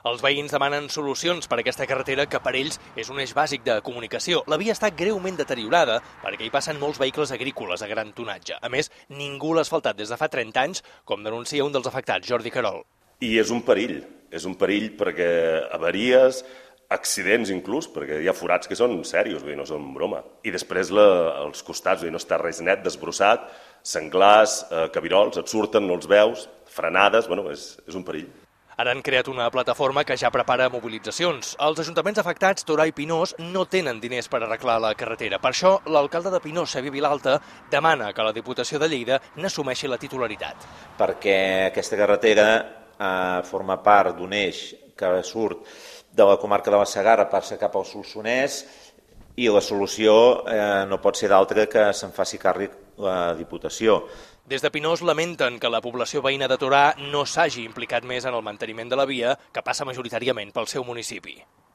Els veïns demanen solucions per a aquesta carretera que per ells és un eix bàsic de comunicació. La via està greument deteriorada perquè hi passen molts vehicles agrícoles a gran tonatge. A més, ningú l'ha asfaltat des de fa 30 anys, com denuncia un dels afectats, Jordi Querol. I és un perill perquè avaries, accidents inclús, perquè hi ha forats que són serios, no són broma. I després als costats, no està res net, desbrossat, senglars, cabirols, et surten, no els veus, frenades, és un perill. Ara han creat una plataforma que ja prepara mobilitzacions. Els ajuntaments afectats, Torà i Pinós, no tenen diners per arreglar la carretera. Per això, l'alcalde de Pinós, Xavier Vilalta, demana que la Diputació de Lleida n'assumeixi la titularitat. Perquè aquesta carretera forma part d'un eix que surt de la comarca de la Segarra, passa cap al Solsonès, i la solució no pot ser d'altra que se'n faci càrrec la Diputació. Des de Pinós lamenten que la població veïna de Torà no s'hagi implicat més en el manteniment de la via, que passa majoritàriament pel seu municipi.